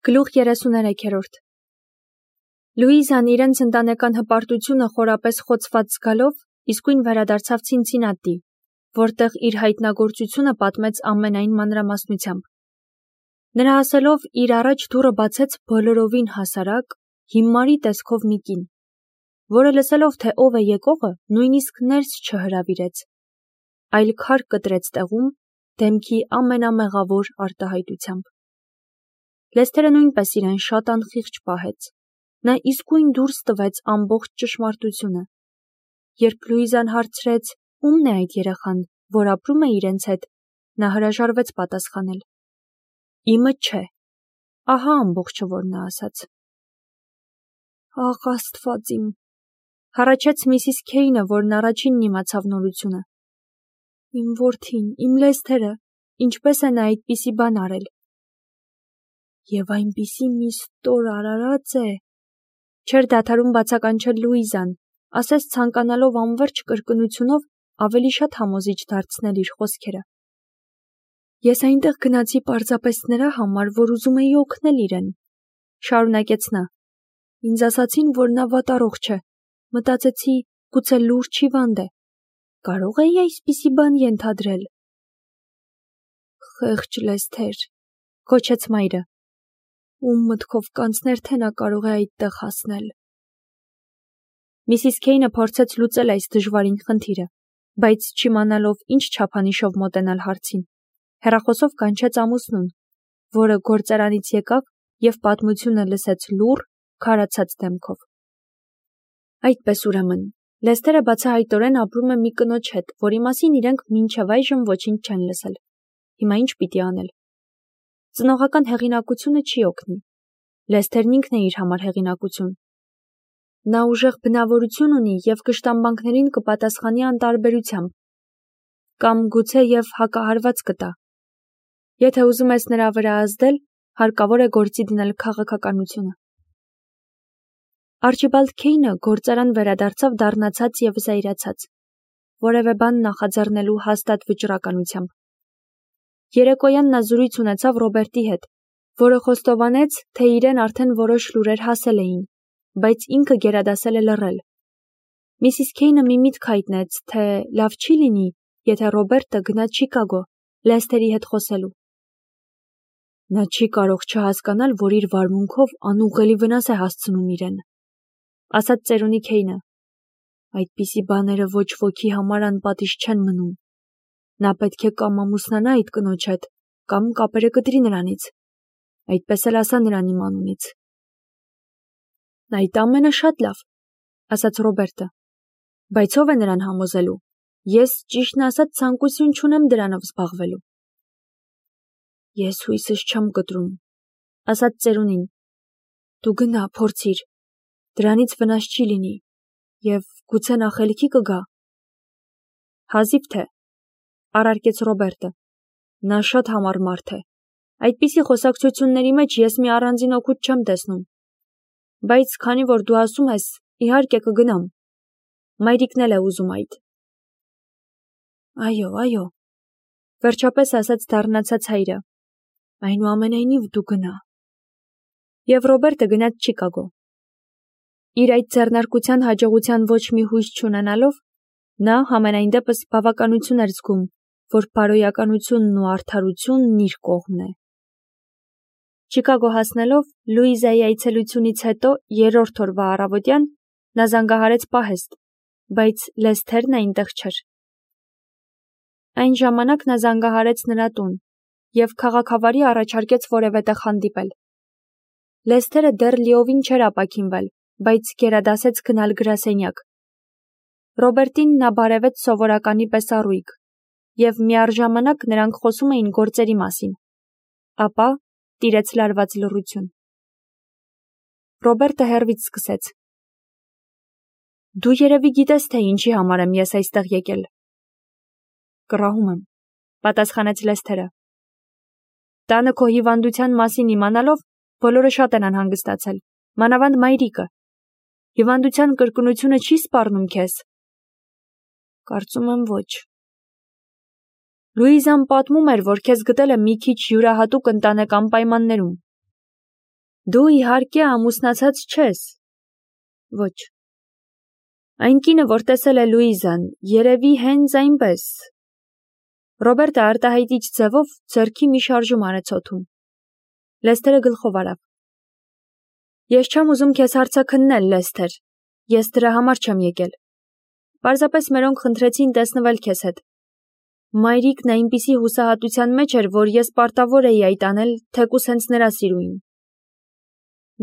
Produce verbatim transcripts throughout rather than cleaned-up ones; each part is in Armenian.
Գլուխ երեսուներեքերորդ Լուիզան իրենց ընտանեկան հպարտությունը խորապես խոցված զգալով իսկույն վերադարձավ Ցինցինատի, որտեղ իր հայտնագործությունը պատմեց ամենայն մանրամասնությամբ։ Նրա ասելով իր առաջ դուռը բացեց բոլորովին հասարակ, հիմարի տեսքով մի կին, որը լսելով, թե ով է եկողը, նույնիսկ ներս չհրավիրեց, այլ քար կտրեց տեղում, դեմքի ամենամեղավոր արտահայտությամբ։ Լեսթերը նույնպես իրեն շատ անխիղճ պահեց, նա իսկույն դուրս տվեց ամբողջ ճշմարտությունը։ Երբ Լուիզան հարցրեց, ում է այդ երեխան, որ ապրում է իրենց հետ, նա հրաժարվեց պատասխանել. Իմը չէ, ահա ամբողջը, որ նա ասաց։ Աղ Աստված իմ, հառաչեց Միսիս Քեյնը, որն առաջինն իմացավ նորությունը։ Իմ որդին, իմ Լեսթերը, ինչպես է նա այդպիսի բան արել։ Եվ այնպիսի մի ստոր արարած է, չէր դադարում բացականչել Լուիզան, ասես ցանկանալով անվերջ կրկնությունով ավելի շատ համոզիչ դարձնել իր խոսքերը։ Ես այնտեղ գնացի պարզապես նրա համար, որ ուզում էի օգնել իրեն, շարունակեց նա։ Ինձ ասացին, որ նա վատառողջ է, մտածեցի, գուցե լուրջ հիվանդ է, կարող էի այսպիսի բան ենթադրել։ Խեղճ Լեսթեր, գոչեց մայրը, ում մտքով կանցներ, թե նա կարող է այդտեղ հասնել։ Միսիս Քեյնը փորձեց լուծել այս դժվարին խնդիրը, բայց չիմանալով ինչ չափանիշով մոտենալ հարցին, հեռախոսով կանչեց ամուսնուն, որը գործարանից եկավ և պատմությունը լսեց լուռ, քարացած դեմքով։ Այդպես ուրեմն, Լեսթերը բացահայտորեն ապրում է մի կնոջ հետ, որի մասին իրենք մինչև այժմ ոչինչ չեն լսել։ Հիմա ինչ պիտի անել։ Ծնողական հեղինակությունը չի օգնի։ Լեսթերն ինքն է իր համար հեղինակություն։ Նա ուժեղ բնավորություն ունի և կշտամբանքներին կպատասխանի անտարբերությամբ, կամ գուցե և հակահարված կտա։ Եթե ուզում ես նրա վրա ազդել, հարկավոր է գործի դնել քաղաքականությունը։ Արչիբալդ Քեյնը գործարան վերադարձավ դառնացած և զայրացած, որևէ բան նախաձեռնելու հաստատ վճռականությամբ։ Երեկոյան նա զրույց ունեցավ Ռոբերտի հետ, որը խոստովանեց, թե իրեն արդեն որոշ լուրեր հասել էին, բայց ինքը գերադասել է լռել։ Միսիս Քեյնը մի միտք հայտնեց, թե լավ չի լինի, եթե Ռոբերտը գնա Չիկագո, Լեսթերի հետ խոսելու։ Նա չի կարող չհասկանալ, որ իր վարմունքով անուղղելի վնաս է հասցնում իրեն, ասաց ծերունի Քեյնը։ Այդպիսի բաները ոչ ոքի համար անպատիժ չեն մնում։ Նա պետք է կամ ամուսնանա այդ կնոջ հետ, կամ կապերը կտրի նրանից։ Այդպես էլ ասա նրան իմ անունից։ Այդ ամենը շատ լավ, ասաց Ռոբերտը, բայց ով է նրան համոզելու։ Ես ճիշտն ասած ցանկություն չունեմ դրանով զբաղվելու։ Ես հույսս չեմ կտրում, ասաց ծերունին։ Դու գնա, փորձիր, դրանից վնաս չի լինի, և գուցե նա խելքի կգա։ Հազիվ թե, առարկեց Ռոբերտը, նա շատ համառ մարդ է։ Այդպիսի խոսակցությունների մեջ ես մի առանձին օգուտ չեմ տեսնում։ Բայց քանի որ դու ասում ես, իհարկե կգնամ։ Մայրիկն էլ է ուզում այդ։ Այո, այո, վերջապես ասաց դառնացած հայրը։ Այնուամենայնիվ դու գնա։ Եվ Ռոբերտը գնաց Չիկագո։ Իր այդ ձեռնարկության հաջողության ոչ մի հույս չունենալով, նա համենայն դեպս բավականություն էր զգում, որ բարոյականությունն ու արդարությունն իր կողմն է։ Չիկագո հասնելով, Լուիզայի այցելությունից հետո երրորդ օրվա առավոտյան նա զանգահարեց պահեստ, բայց Լեսթերն այնտեղ չէր։ Այն ժամանակ նա զանգահարեց նրա տուն և քաղաքավարի առաջարկեց որևէ տեղ հանդիպել։ Լեսթերը դեռ լիովին չէր ապաքինվել, բայց գերադասեց գնալ գրասենյակ։ Ռոբերտին նա բարևեց սովորականի պես առույգ, և միառժամանակ նրանք խոսում էին գործերի մասին։ Ապա տիրեց լարված լռություն։ Ռոբերտը հեռվից սկսեց. Դու երևի գիտես, թե ինչի համար եմ ես այստեղ եկել։ Կռահում եմ, պատասխանեց Լեսթերը։ Տանը քո հիվանդության մասին իմանալով, բոլորը շատ են անհանգստացել, մանավանդ մայրիկը։ Հիվանդության կրկնությունը չի սպառնում քեզ։ Կարծում եմ ոչ։ Լուիզան պատմում էր, որ քեզ գտել է մի քիչ յուրահատուկ ընտանեկան պայմաններում։ Դու իհարկե ամուսնացած չես։ Ոչ։ Այն կինը, որ տեսել է Լուիզան, երևի հենց այնպես։ Ռոբերտը արտահայտիչ ձևով ձեռքի մի շարժում արեց օդում։ Լեսթերը գլխով արավ։ Ես չեմ ուզում քեզ հարցաքննել, Լեսթեր, ես դրա համար չեմ եկել։ Պարզապես մերոնք խնդրեցին տեսնվել քեզ հետ։ Մայրիկն այնպիսի հուսահատության մեջ էր, որ ես պարտավոր էի այդ անել, թեկուզ հենց նրա սիրուին։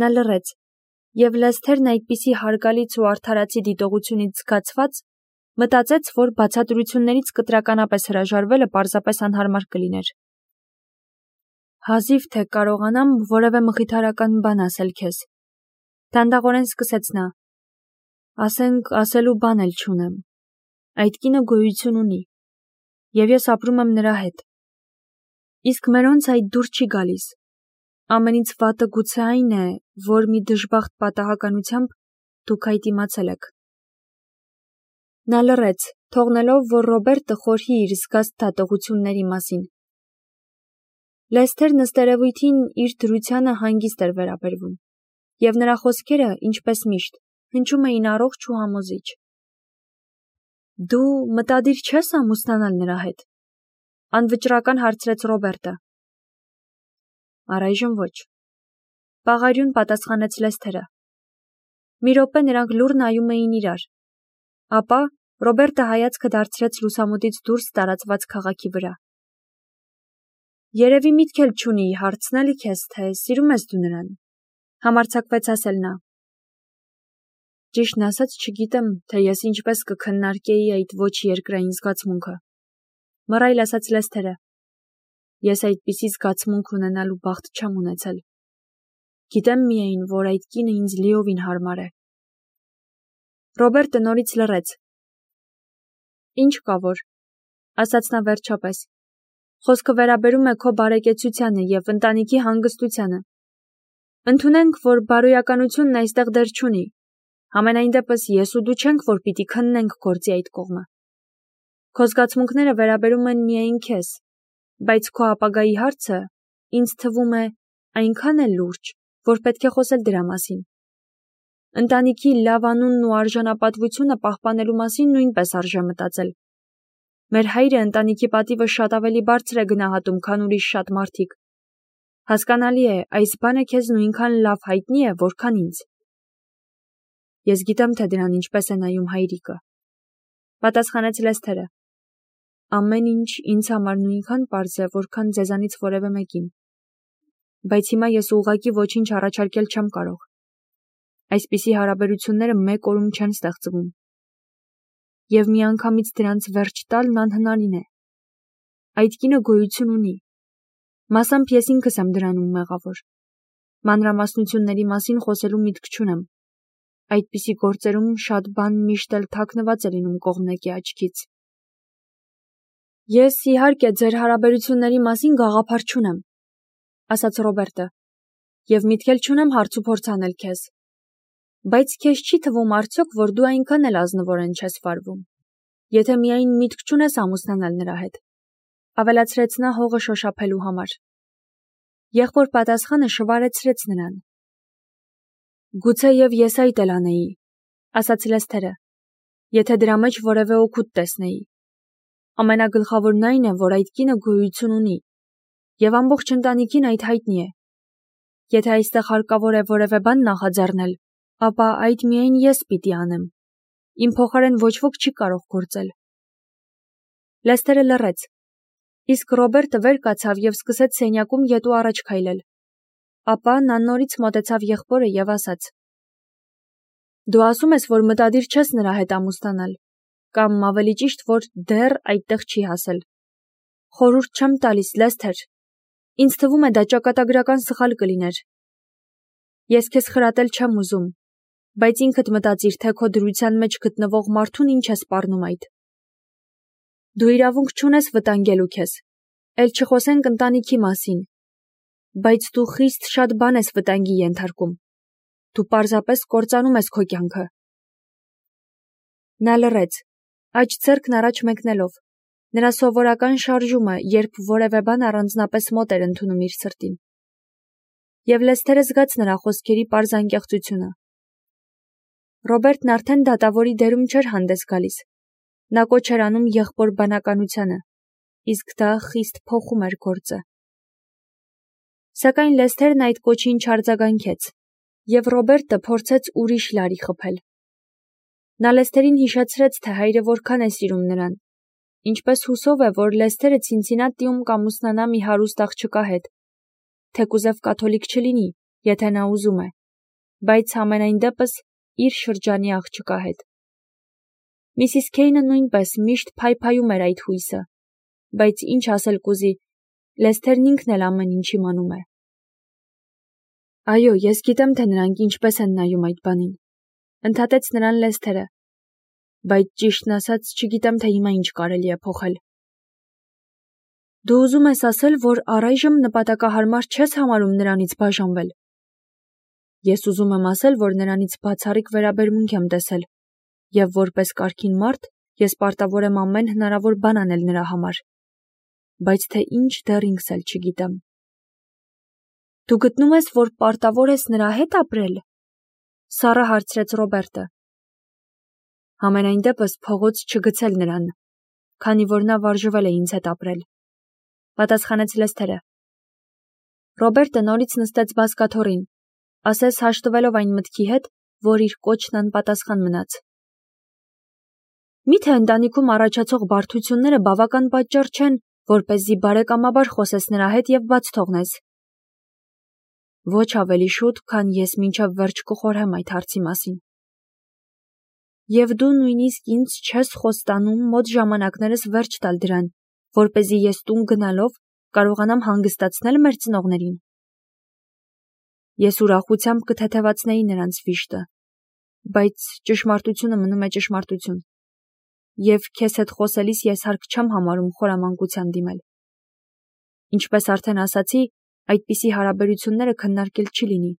Նա լռեց, և Լեսթերն այդպիսի հարգալից ու արդարացի դիտողությունից զգացված, մտածեց, որ բացատրություններից կտրականապես հրաժարվելը պարզապես անհարմար կլիներ։ Հազիվ թե կարողանամ որևէ մխիթարական բան ասել քեզ։ Դանդաղորեն սկսեց նա։ Ասենք, ասելու բան էլ չունեմ։ Այդ կինը գոյություն ունի, և ես ապրում եմ նրա հետ։ Իսկ մերոնց այդ դուր չի գալիս։ Ամենից վատը գուցե այն է, որ մի դժբախտ պատահականությամբ դուք այդ իմացել եք։ Նա լռեց, թողնելով, որ Ռոբերտը խորհի իր զգաստ դատողությունների մասին։ Լեսթերն ըստերևույթին իր դրությանը հանգիստ էր վերաբերվում, և նրա խոսքերը, ինչպես միշտ, հնչում էին առողջ ու համոզիչ։ Դու մտադիր չես ամուսնանալ նրա հետ, անվճռական հարցրեց Ռոբերտը։ Առայժմ ոչ, պաղարյուն պատասխանեց Լեսթերը։ Մի րոպե նրանք լուռ նայում էին իրար, ապա Ռոբերտը հայացքը դարձրեց լուսամուտից դուրս տարածված քաղաքի վրա։ Երևի միտք էլ չունի հարցնել քեզ, թե սիրում ես դու նրան, համարձակվեց ասել նա։ Ճիշտն ասած չգիտեմ, թե ես ինչպես կքննարկեի այդ ոչ երկրային զգացմունքը, մռայլ ասաց Լեսթերը։ Ես այդպիսի զգացմունք ունենալու բախտ չեմ ունեցել։ Գիտեմ միայն, որ այդ կինը ինձ լիովին հարմար է։ Ռոբերտը նորից լռեց։ Ինչ կա որ, ասաց նա վերջապես։ Խոսքը վերաբերում է քո բարեկեցությանը և ընտանիքի հանգստությանը։ Ընդունենք, որ բարոյականությունն այստեղ դեր չունի։ Համենայն դեպս ես ու դու չենք, որ պիտի քննենք գործի այդ կողմը։ Քո զգացմունքները վերաբերում են միայն քեզ, բայց քո ապագայի հարցը, ինձ թվում է, այնքան է լուրջ, որ պետք է խոսել դրա մասին։ Ընտանիքի լավ անունն ու արժանապատվությունը պահպանելու մասին նույնպես արժե մտածել։ Մեր հայրը ընտանիքի պատիվը շատ ավելի բարձր է գնահատում, քան ուրիշ շատ մարդիկ։ Հասկանալի է, այս բանը քեզ նույնքան լավ հայտնի է, որքան ինձ։ Ես գիտեմ, թե դրան ինչպես է նայում հայրիկը, պատասխանեց Լեսթերը։ Ամեն ինչ ինձ համար նույնքան պարզ է, որքան ձեզանից որևէ մեկին։ Բայց հիմա ես ուղղակի ոչինչ առաջարկել չեմ կարող։ Այսպիսի հարաբերությունները մեկ օրում չեն ստեղծվում։ Եվ միանգամից դրանց վերջ տալն անհնարին է։ Այդ կինը գոյություն ունի։ Մասամբ ես ինքս եմ դրանում մեղավոր։ Մանրամասնությունների մասին խոսելու միտք չունեմ։ Այդպիսի գործերում շատ բան միշտ էլ թաքնված է լինում կողմնակի աչքից։ Ես իհարկե ձեր հարաբերությունների մասին գաղափար չունեմ, ասաց Ռոբերտը, և միտք էլ չունեմ հարց ու փորձ անել քեզ։ Բայց քեզ չի թվում արդյոք, որ դու այնքան էլ ազնվորեն չես վարվում, եթե միայն միտք չունես ամուսնանալ նրա հետ, ավելացրեց նա հողը շոշափելու համար։ Եղբոր պատասխանը շվարեցրեց նրան։ Գուցե և ես այդ էլ անեի, ասաց Լեսթերը, եթե դրա մեջ որևէ օգուտ տեսնեի։ Ամենագլխավորն այն է, որ այդ կինը գոյություն ունի, և ամբողջ ընտանիքին այդ հայտնի է։ Եթե այստեղ հարկավոր է որևէ բան նախաձեռնել, ապա այդ միայն ես պիտի անեմ։ Իմ փոխարեն ոչ ոք չի կարող գործել։ Լեսթերը լռեց, իսկ Ռոբերտը վեր կացավ և սկսեց սենյակում ետու առաջ քայլել։ Ապա նա նորից մոտեցավ եղբորը և ասաց. Դու ասում ես, որ մտադիր չես նրա հետ ամուսնանալ, կամ ավելի ճիշտ, որ դեռ այդտեղ չի հասել։ Խորհուրդ չեմ տալիս, Լեսթեր։ Ինձ թվում է դա ճակատագրական սխալ կլիներ։ Ես քեզ խրատել չեմ ուզում, բայց ինքդ մտածիր, թե քո դրության մեջ գտնվող մարդուն ինչ է սպառնում այդ։ Դու իրավունք չունես վտանգելու քեզ, էլ չխոսենք ընտանիքի մասին, բայց դու խիստ շատ բան ես վտանգի ենթարկում։ Դու պարզապես կործանում ես քո կյանքը։ Նա լռեց, աջ ձեռքն առաջ մեկնելով, նրա սովորական շարժումը, երբ որևէ բան առանձնապես մոտ էր ընդունում իր սրտին։ և Լեսթերը զգաց նրա խոսքերի պարզ անկեղծությունը։ Ռոբերտն արդեն դատավորի դերում չէր հանդես գալիս։ Նա կոչ էր անում եղբոր բանականությանը, իսկ դա խիստ փոխում էր գործը։ Սակայն Լեսթերն այդ կոչին չարձագանքեց, և Ռոբերտը փորձեց ուրիշ լարի խփել։ Նա Լեսթերին հիշեցրեց, թե հայրը որքան է սիրում նրան, ինչպես հուսով է, որ Լեսթերը Ցինցինատիում կամուսնանա մի հարուստ աղջկա հետ, թեկուզև կաթոլիկ չլինի, եթե նա ուզում է, բայց համենայն դեպս իր շրջանի աղջկա հետ։ Միսիս Քեյնը նույնպես միշտ փայփայում էր այդ հույսը, բայց ինչ ասել կուզի, Լեսթերն ինքն էլ ամեն ինչ իմանում է։ Այո, ես գիտեմ, թե նրանք ինչպես են նայում այդ բանին, ընդհատեց նրան Լեսթերը, բայց ճիշտն ասած չգիտեմ, թե հիմա ինչ կարելի է փոխել։ Դու ուզում ես ասել, որ առայժմ նպատակահարմար չես համարում նրանից բաժանվել։ Ես ուզում եմ ասել, որ նրանից բացառիկ վերաբերմունք եմ տեսել, և որպես կարգին մարդ ես պարտավոր եմ ամեն հնարավոր բան անել նրա համար, բայց թե ինչ դեռ ինքս էլ չգիտեմ։ Դու գտնում ես, որ պարտավոր ես նրա հետ ապրել, սառը հարցրեց Ռոբերտը։ Համենայն դեպս փողոց չգցել նրան, քանի որ նա վարժվել է ինձ հետ ապրել, պատասխանեց Լեսթերը։ Ռոբերտը նորից նստեց բազկաթոռին, ասես հաշտվելով այն մտքի հետ, որ իր կոչն անպատասխան մնաց։ Միթե ընտանիքում առաջացող բարդությունները բավական պատճառ չեն, որպեսզի բարեկամաբար խոսես նրա հետ և բաց թողնես։ Ոչ ավելի շուտ, քան ես մինչև վերջ կխորհեմ այդ հարցի մասին։ Եվ դու նույնիսկ ինձ չես խոստանում մոտ ժամանակներս վերջ տալ դրան, որպեսզի ես տուն գնալով կարողանամ հանգստացնել մեր ծնողներին։ Ես ուրախությամբ կթեթևացնեի նրանց վիշտը, բայց ճշմարտությունը մնում է ճշմարտություն, և քեզ հետ խոսելիս ես հարկ չեմ համարում խորամանկության դիմել։ Ինչպես արդեն ասացի, այդպիսի հարաբերությունները քննարկել չի լինի։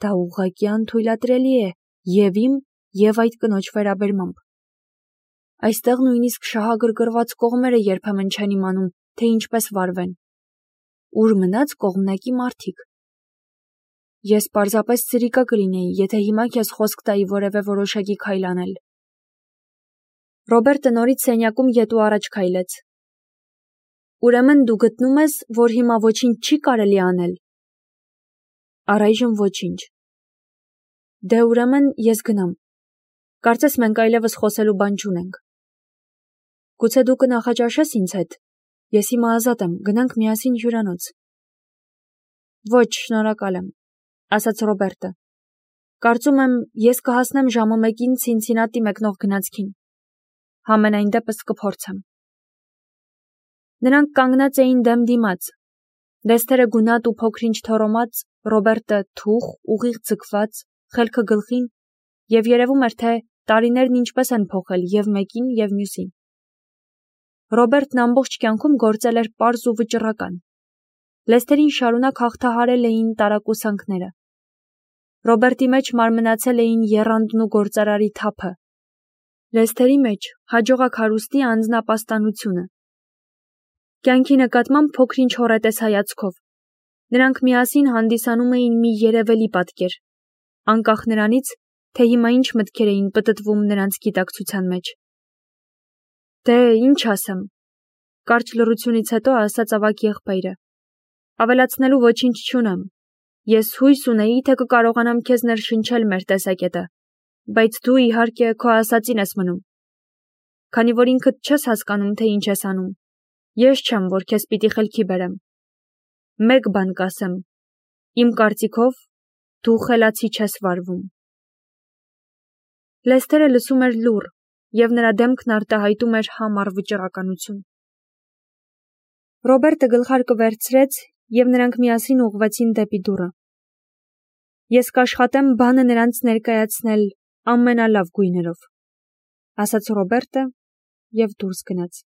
Դա ուղղակի անթույլատրելի է և իմ, և այդ կնոջ վերաբերմամբ։ Այստեղ նույնիսկ շահագրգռված կողմերը երբեմն չեն իմանում, թե ինչպես վարվեն։ Ուր մնաց կողմնակի մարդիկ։ Ես պարզապես ցրիկա կլինեի, եթե հիմա քեզ խոսք տայի որևէ որոշակի քայլ անել։ Ռոբերտը նորից սենյակում ետ ու առաջ քայլեց։ Ուրեմն դու գտնում ես, որ հիմա ոչինչ չի կարելի անել։ Առայժմ ոչինչ։ Դե ուրեմն ես գնամ։ Կարծես մենք այլևս խոսելու բան չունենք։ Գուցե դու կնախաճաշես ինձ հետ։ Ես հիմա ազատ եմ, գնանք միասին հյուրանոց։ Ոչ, շնորհակալ եմ, ասաց Ռոբերտը։ Կարծում եմ, ես կհասնեմ ժամը մեկին Ցինցինատի մեկնող գնացքին։ Համենայն դեպս կփորձեմ։ Նրանք կանգնած էին դեմ դիմաց։ Լեսթերը գունատ ու փոքրինչ թոռոմած, Ռոբերտը թուխ, ուղիղ ձգված, խելքը գլխին, և երևում էր, թե տարիներն ինչպես են փոխել և մեկին, և մյուսին։ Ռոբերտն ամբողջ կյանքում գործել էր պարզ ու վճռական։ Լեսթերին շարունակ հաղթահարել էին տարակուսանքները։ Ռոբերտի մեջ մարմնացել էին եռանդն ու գործարարի թափը։ Լեսթերի մեջ հաջողակ հարուստի անձնապաստանությունը։ Կյանքի նկատմամբ փոքրինչ հոռետես հայացքով։ Նրանք միասին հանդիսանում էին մի երևելի պատկեր, անկախ նրանից, թե հիմա ինչ մտքեր էին պտտվում նրանց գիտակցության մեջ։ Դե, ինչ ասեմ, կարճ լռությունից հետո ասաց ավագ եղբայրը։ Ավելացնելու ոչինչ չունեմ։ Ես հույս ունեի, թե կկարողանամ քեզ ներշնչել մեր տեսակետը, բայց դու իհարկե քո ասածին ես մնում։ Քանի որ ինքդ չես հասկանում, թե ինչ ես անում, ես չեմ, որ քեզ պիտի խելքի բերեմ։ Մեկ բան կասեմ, իմ կարծիքով դու խելացի չես վարվում։ Լեսթերը լսում էր լուռ, և նրա դեմքն արտահայտում էր համառ վճռականություն։ Ռոբերտը գլխարկը վերցրեց, և նրանք միասին ուղղվեցին դեպի դուռը։ Ես կաշխատեմ բանը նրանց ներկայացնել ամենալավ գույներով, ասաց Ռոբերտը և դուրս գնաց։